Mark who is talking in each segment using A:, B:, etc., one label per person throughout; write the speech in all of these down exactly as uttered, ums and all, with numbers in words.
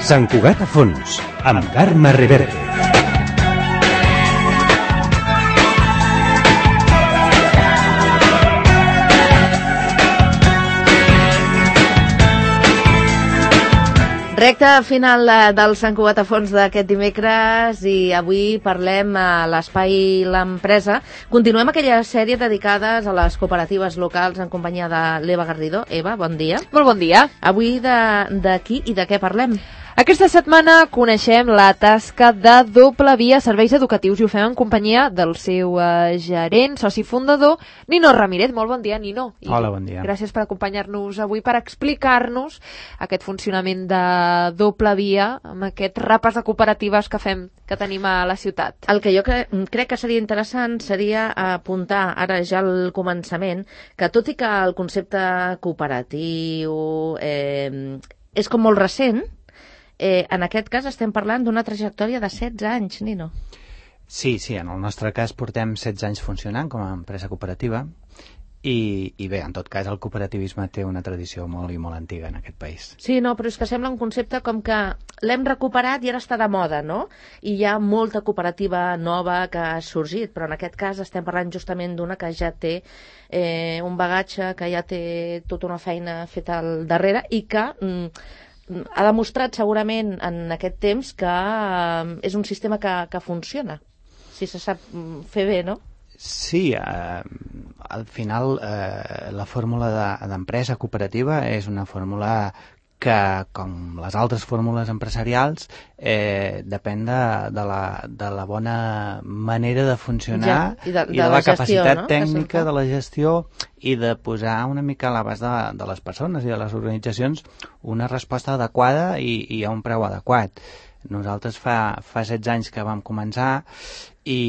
A: Sant Cugat a fons, amb Carme Reverte.
B: Recte final del Sant Cugat a fons d'aquest dimecres i avui parlem a l'Espai L'Empresa. Continuem aquella sèrie dedicades a les cooperatives locals en companyia de l'Eva Garrido. Eva, bon dia.
C: Molt bon dia.
B: Avui de, de qui i de què parlem?
C: Aquesta setmana coneixem la tasca de Doble Via Serveis Educatius i ho fem en companyia del seu uh, gerent, soci fundador, Nino Ramírez. Molt bon dia, Nino. I
D: Hola, bon dia.
C: Gràcies per acompanyar-nos avui per explicar-nos aquest funcionament de Doble Via amb aquest repàs de cooperatives que fem, que tenim a la ciutat.
B: El que jo cre crec que seria interessant seria apuntar ara ja al començament que tot i que el concepte cooperatiu eh, és com molt recent, Eh, en aquest cas estem parlant d'una trajectòria de setze anys, Nino.
D: Sí, sí, en el nostre cas portem setze anys funcionant com a empresa cooperativa i, i bé, en tot cas el cooperativisme té una tradició molt i molt antiga en aquest país.
B: Sí, no, però és que sembla un concepte com que l'hem recuperat i ara està de moda, no? I hi ha molta cooperativa nova que ha sorgit, però en aquest cas estem parlant justament d'una que ja té eh, un bagatge, que ja té tota una feina feta al darrere i que... Mm, ha demostrat segurament en aquest temps que eh, és un sistema que, que funciona, si se sap fer bé, no?
D: Sí, eh, al final eh, la fórmula d'empresa de, cooperativa és una fórmula que, com les altres fórmules empresarials, eh, depèn de, de, la, de la bona manera de funcionar ja, i de, de, i de la, la gestió, capacitat no? tècnica de la gestió i de posar una mica a l'abast de, de les persones i de les organitzacions una resposta adequada i, i a un preu adequat. Nosaltres fa, fa setze anys que vam començar i,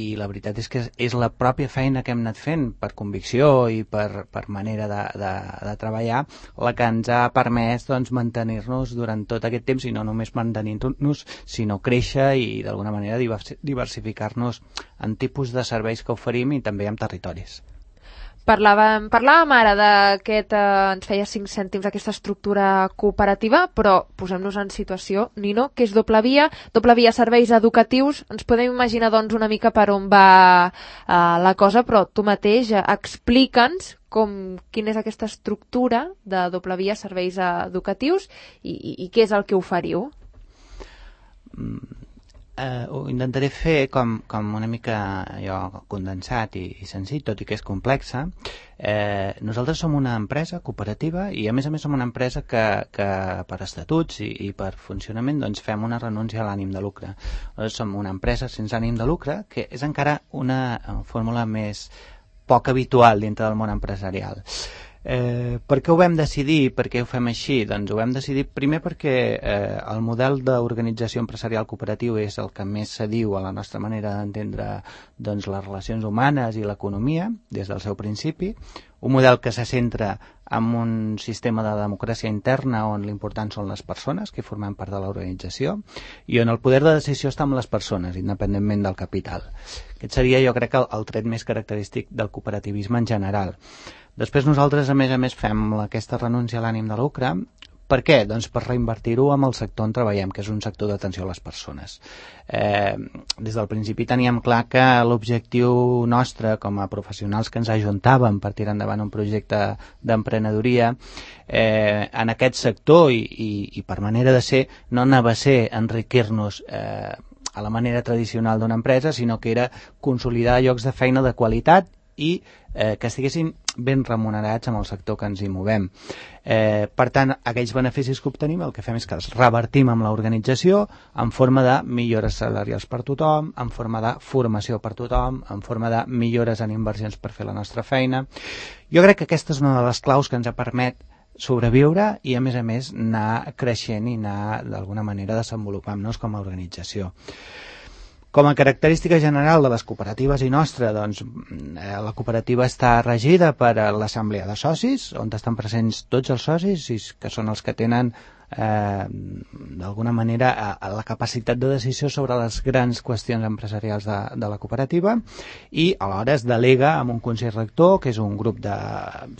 D: i la veritat és que és, és la pròpia feina que hem anat fent per convicció i per, per manera de, de, de treballar la que ens ha permès doncs, mantenir-nos durant tot aquest temps i no només mantenir-nos sinó créixer i d'alguna manera diversificar-nos en tipus de serveis que oferim i també en territoris.
C: Parlàvem, parlàvem ara d'aquest, eh, ens feia cinc cèntims aquesta estructura cooperativa, però posem-nos en situació, Nino, que és Doble Via, Doble Via Serveis Educatius, ens podem imaginar doncs una mica per on va eh, la cosa, però tu mateix eh, explica'ns com, quina és aquesta estructura de Doble Via Serveis Educatius i, i, i què és el que oferiu.
D: Mm. Uh, ho intentaré fer com, com una mica allò, condensat i, i senzill, tot i que és complexa. Eh, nosaltres som una empresa cooperativa i a més a més som una empresa que, que per estatuts i, i per funcionament doncs, fem una renúncia a l'ànim de lucre. Nosaltres som una empresa sense ànim de lucre, que és encara una fórmula més poc habitual dintre del món empresarial. Eh, per què ho vam decidir? Per què ho fem així? Doncs ho vam decidir primer perquè eh, el model d'organització empresarial cooperatiu és el que més s'adiu a la nostra manera d'entendre doncs, les relacions humanes i l'economia des del seu principi, un model que se centra en un sistema de democràcia interna on l'important són les persones que formem part de l'organització i on el poder de decisió està amb les persones, independentment del capital. Aquest seria, jo crec, el, el tret més característic del cooperativisme en general. Després nosaltres, a més a més, fem aquesta renúncia a l'ànim de lucre. Per què? Doncs per reinvertir-ho amb el sector on treballem, que és un sector d'atenció a les persones. Eh, des del principi teníem clar que l'objectiu nostre com a professionals que ens ajuntàvem per tirar endavant un projecte d'emprenedoria eh, en aquest sector i, i, i per manera de ser no anava a ser enriquir-nos eh, a la manera tradicional d'una empresa, sinó que era consolidar llocs de feina de qualitat i eh, que estiguessin ben remunerats amb el sector que ens hi movem. Eh, per tant, aquells beneficis que obtenim el que fem és que els revertim amb l'organització en forma de millores salarials per tothom, en forma de formació per tothom, en forma de millores en inversions per fer la nostra feina. Jo crec que aquesta és una de les claus que ens permet sobreviure i, a més a més, anar creixent i anar, d'alguna manera, desenvolupant-nos com a organització. Com a característica general de les cooperatives i nostra, doncs, la cooperativa està regida per l'assemblea de socis, on estan presents tots els socis, que són els que tenen eh, d'alguna manera a, a la capacitat de decisió sobre les grans qüestions empresarials de, de la cooperativa i alhora es delega amb un consell rector, que és un grup de,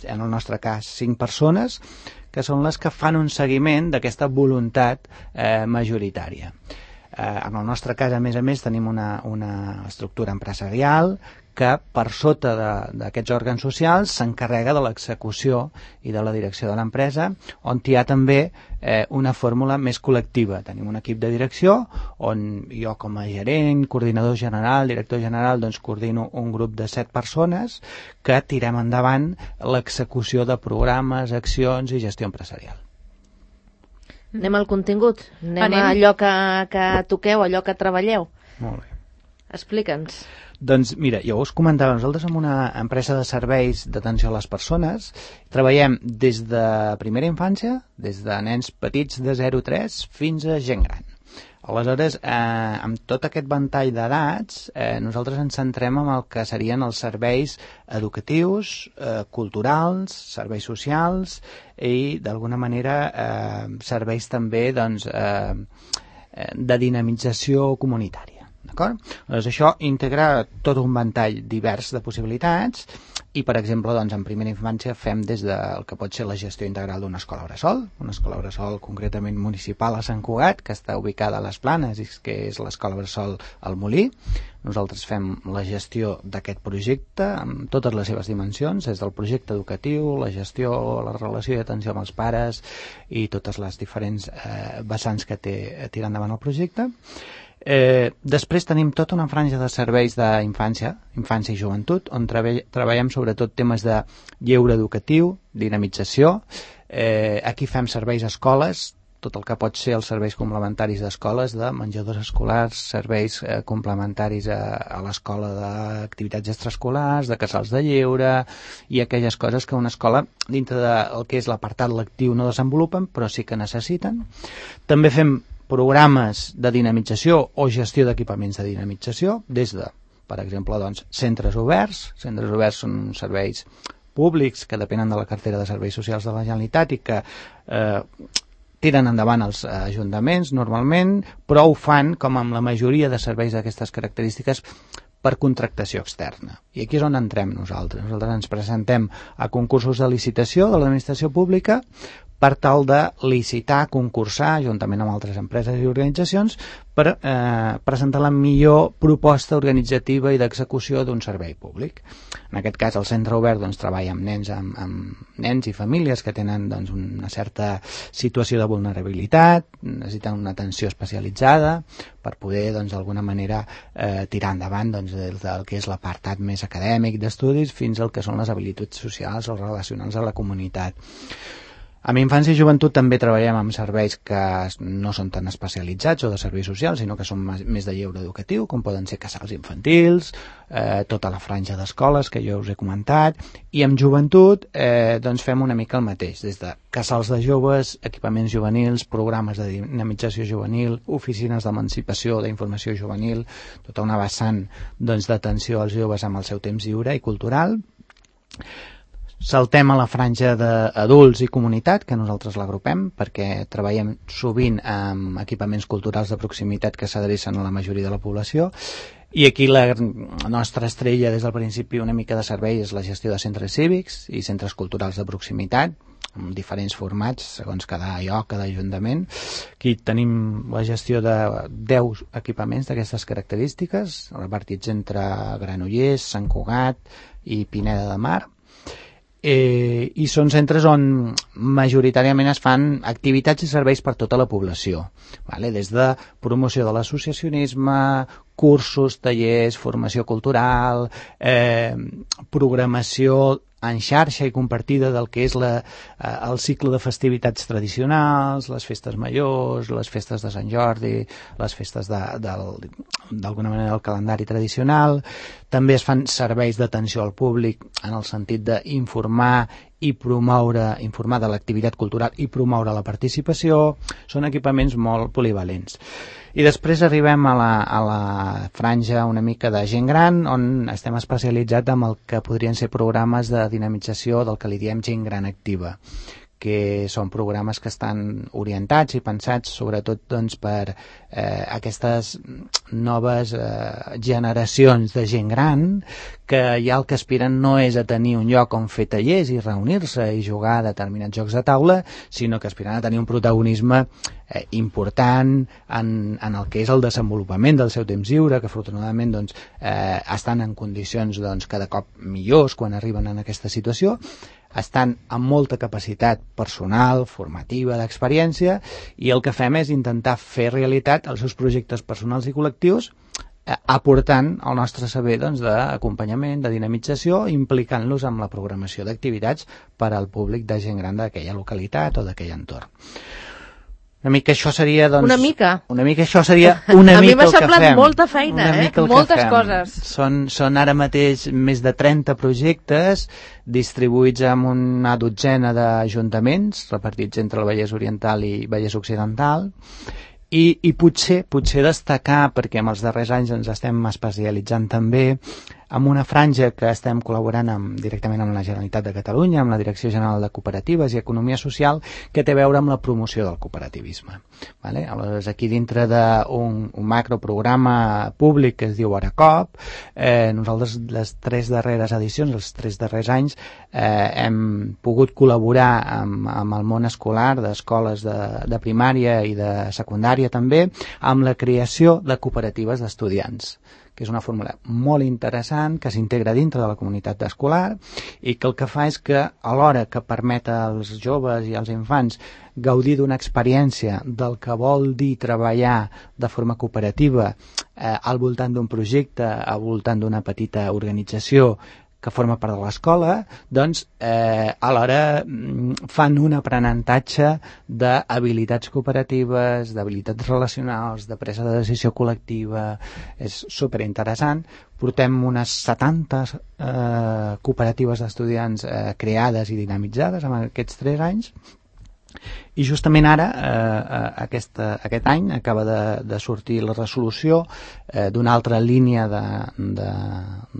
D: en el nostre cas, cinc persones, que són les que fan un seguiment d'aquesta voluntat eh, majoritària. Eh, en el nostre cas, a més a més, tenim una, una estructura empresarial que per sota d'aquests òrgans socials s'encarrega de l'execució i de la direcció de l'empresa, on hi ha també eh, una fórmula més col·lectiva. Tenim un equip de direcció on jo com a gerent, coordinador general, director general, doncs coordino un grup de set persones que tirem endavant l'execució de programes, accions i gestió empresarial.
B: Anem al contingut, anem,
C: Anem.
B: a allò que, que toqueu, allò que treballeu.
D: Molt bé.
B: Explica'ns.
D: Doncs mira, jo us comentava, nosaltres som una empresa de serveis d'atenció a les persones, treballem des de primera infància, des de nens petits de zero a tres fins a gent gran. Aleshores, eh, amb tot aquest ventall d'edats, eh, nosaltres ens centrem en el que serien els serveis educatius, eh, culturals, serveis socials i, d'alguna manera, eh, serveis també doncs, eh, de dinamització comunitària. D'acord? Doncs això integra tot un ventall divers de possibilitats i, per exemple, doncs, en primera infància fem des del que pot ser la gestió integral d'una escola bressol, una escola bressol concretament municipal a Sant Cugat, que està ubicada a les Planes i que és l'escola bressol al Molí. Nosaltres fem la gestió d'aquest projecte amb totes les seves dimensions, des del projecte educatiu, la gestió, la relació i atenció amb els pares i totes les diferents eh, vessants que té tirar endavant el projecte. Eh, després tenim tota una franja de serveis d'infància, infància i joventut, on treball, treballem sobretot temes de lleure educatiu, dinamització. Eh, aquí fem serveis a escoles, tot el que pot ser els serveis complementaris d'escoles, de menjadors escolars, serveis eh, complementaris a, a l'escola d'activitats extraescolars, de casals de lleure i aquelles coses que una escola, dintre del que és l'apartat lectiu, no desenvolupen, però sí que necessiten. També fem programes de dinamització o gestió d'equipaments de dinamització, des de, per exemple, doncs, centres oberts. Centres oberts són serveis públics que depenen de la cartera de serveis socials de la Generalitat i que eh, tiren endavant els ajuntaments normalment, però ho fan, com amb la majoria de serveis d'aquestes característiques, per contractació externa. I aquí és on entrem nosaltres. Nosaltres ens presentem a concursos de licitació de l'administració pública per tal de licitar, concursar, juntament amb altres empreses i organitzacions, per eh, presentar la millor proposta organitzativa i d'execució d'un servei públic. En aquest cas, el centre obert doncs, treballa amb nens, amb, amb nens i famílies que tenen doncs, una certa situació de vulnerabilitat, necessiten una atenció especialitzada per poder, doncs, d'alguna manera, eh, tirar endavant doncs, des del que és l'apartat més acadèmic d'estudis fins al que són les habilitats socials o relacionals a la comunitat. Amb infància i joventut també treballem amb serveis que no són tan especialitzats o de serveis socials, sinó que són més de lleure educatiu, com poden ser casals infantils, eh, tota la franja d'escoles que jo us he comentat, i amb joventut eh, doncs fem una mica el mateix, des de casals de joves, equipaments juvenils, programes de dinamització juvenil, oficines d'emancipació, d'informació juvenil, tota una vessant doncs, d'atenció als joves amb el seu temps lliure i cultural. Saltem a la franja d'adults i comunitat, que nosaltres l'agrupem, perquè treballem sovint amb equipaments culturals de proximitat que s'adrecen a la majoria de la població, i aquí la nostra estrella des del principi una mica de servei és la gestió de centres cívics i centres culturals de proximitat, amb diferents formats, segons cada lloc, cada ajuntament. Aquí tenim la gestió de deu equipaments d'aquestes característiques, repartits entre Granollers, Sant Cugat i Pineda de Mar. Eh, i són centres on majoritàriament es fan activitats i serveis per tota la població, vale? Des de promoció de l'associacionisme, cursos, tallers, formació cultural, eh, programació en xarxa i compartida del que és la, eh, el cicle de festivitats tradicionals, les festes majors, les festes de Sant Jordi, les festes de, del, d'alguna manera del calendari tradicional. També es fan serveis d'atenció al públic en el sentit d'informar i promoure, informar de l'activitat cultural i promoure la participació. Són equipaments molt polivalents. I després arribem a la, a la franja una mica de gent gran, on estem especialitzats en el que podrien ser programes de dinamització del que li diem gent gran activa, que són programes que estan orientats i pensats sobretot doncs, per eh, aquestes noves eh, generacions de gent gran que ja el que aspiren no és a tenir un lloc on fer tallers i reunir-se i jugar a determinats jocs de taula, sinó que aspiren a tenir un protagonisme eh, important en, en el que és el desenvolupament del seu temps lliure, que afortunadament doncs, eh, estan en condicions doncs, cada cop millors quan arriben en aquesta situació, estan amb molta capacitat personal, formativa, d'experiència, i el que fem és intentar fer realitat els seus projectes personals i col·lectius eh, aportant el nostre saber doncs, d'acompanyament, de dinamització, implicant-los amb la programació d'activitats per al públic de gent gran d'aquella localitat o d'aquell entorn. Una mica això seria, doncs...
B: Una mica?
D: Una mica això seria una
B: a
D: mica el que fem.
B: A mi m'ha semblat molta feina, eh?
C: Moltes coses.
D: Són, són ara mateix més de trenta projectes distribuïts en una dotzena d'ajuntaments repartits entre el Vallès Oriental i Vallès Occidental. I, i potser, potser destacar, perquè en els darrers anys ens estem especialitzant també amb una franja que estem col·laborant amb, directament amb la Generalitat de Catalunya, amb la Direcció General de Cooperatives i Economia Social, que té a veure amb la promoció del cooperativisme. Vale? Aleshores, aquí dintre d'un un macroprograma públic que es diu Aracop, eh, nosaltres les tres darreres edicions, els tres darrers anys, eh, hem pogut col·laborar amb, amb el món escolar d'escoles de, de primària i de secundària també, amb la creació de cooperatives d'estudiants, que és una fórmula molt interessant, que s'integra dintre de la comunitat escolar i que el que fa és que, alhora que permet als joves i als infants gaudir d'una experiència del que vol dir treballar de forma cooperativa eh, al voltant d'un projecte, al voltant d'una petita organització que forma part de l'escola, doncs eh, alhora fan un aprenentatge d'habilitats cooperatives, d'habilitats relacionals, de presa de decisió col·lectiva. És superinteressant. Portem unes setanta eh, cooperatives d'estudiants eh, creades i dinamitzades en aquests tres anys. I justament ara, eh, aquesta, aquest any, acaba de, de sortir la resolució eh, d'una altra línia de, de,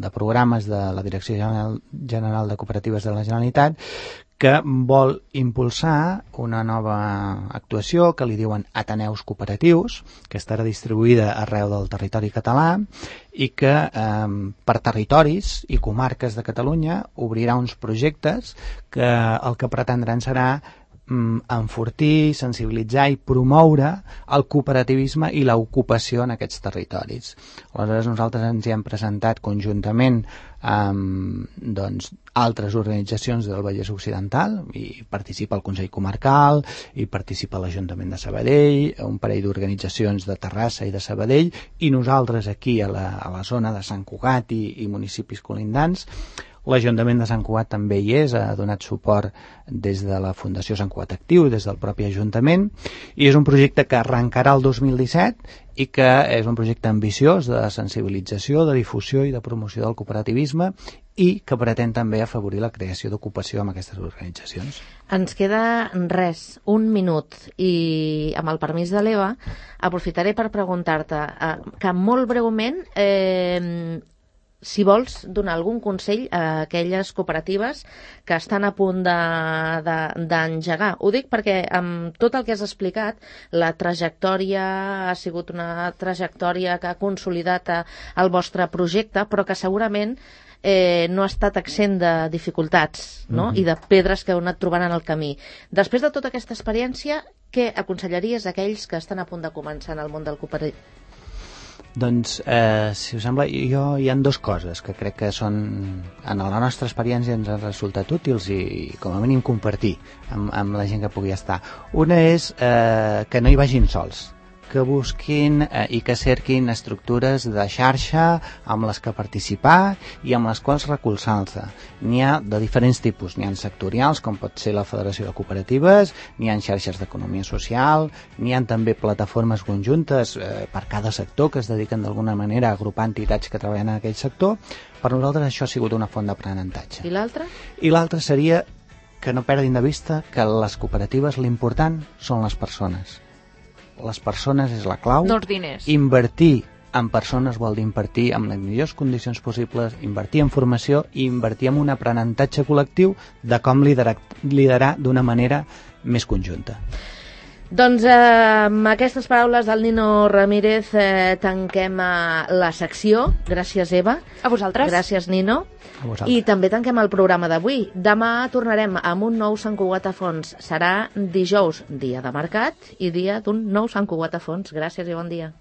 D: de programes de la Direcció General, General de Cooperatives de la Generalitat, que vol impulsar una nova actuació que li diuen Ateneus Cooperatius, que estarà distribuïda arreu del territori català i que eh, per territoris i comarques de Catalunya obrirà uns projectes que el que pretendran serà enfortir, sensibilitzar i promoure el cooperativisme i l'ocupació en aquests territoris. Aleshores nosaltres ens hi hem presentat conjuntament amb doncs, altres organitzacions del Vallès Occidental, i participa el Consell Comarcal, i participa l'Ajuntament de Sabadell, un parell d'organitzacions de Terrassa i de Sabadell, i nosaltres aquí a la, a la zona de Sant Cugat i, i municipis colindants. L'Ajuntament de Sant Cugat també hi és, ha donat suport des de la Fundació Sant Cugat Actiu, des del propi Ajuntament, i és un projecte que arrencarà el dos mil disset i que és un projecte ambiciós de sensibilització, de difusió i de promoció del cooperativisme i que pretén també afavorir la creació d'ocupació amb aquestes organitzacions.
B: Ens queda res, un minut, i amb el permís de l'Eva aprofitaré per preguntar-te eh, que molt breument eh, si vols donar algun consell a aquelles cooperatives que estan a punt d'engegar. Ho dic perquè amb tot el que has explicat, la trajectòria ha sigut una trajectòria que ha consolidat el vostre projecte, però que segurament eh, no ha estat exempt de dificultats, no? Mm-hmm. I de pedres que heu anat trobant en el camí. Després de tota aquesta experiència, què aconsellaries a aquells que estan a punt de començar en el món del cooperativisme?
D: Doncs, eh, si us sembla, jo hi ha dues coses que crec que són, en la nostra experiència ens han resultat útils i, com a mínim, compartir amb, amb la gent que pugui estar. Una és eh, que no hi vagin sols, que busquin eh, i que cerquin estructures de xarxa amb les que participar i amb les quals recolzar-se. N'hi ha de diferents tipus, n'hi ha sectorials, com pot ser la Federació de Cooperatives, n'hi ha xarxes d'economia social, n'hi ha també plataformes conjuntes eh, per cada sector que es dediquen d'alguna manera a agrupar entitats que treballen en aquell sector. Per nosaltres això ha sigut una font d'aprenentatge.
B: I l'altra?
D: I l'altra seria que no perdin de vista que les cooperatives l'important són les persones. Les persones és la clau.
C: No els diners.
D: Invertir en persones vol dir invertir en les millors condicions possibles, invertir en formació i invertir en un aprenentatge col·lectiu de com liderar, liderar d'una manera més conjunta.
B: Doncs eh, amb aquestes paraules del Nino Ramírez eh, tanquem eh, la secció. Gràcies, Eva.
C: A vosaltres.
B: Gràcies, Nino.
D: A vosaltres.
B: I també tanquem el programa d'avui. Demà tornarem amb un nou Sant Cugat a Fons. Serà dijous, dia de mercat, i dia d'un nou Sant Cugat a Fons. Gràcies i bon dia.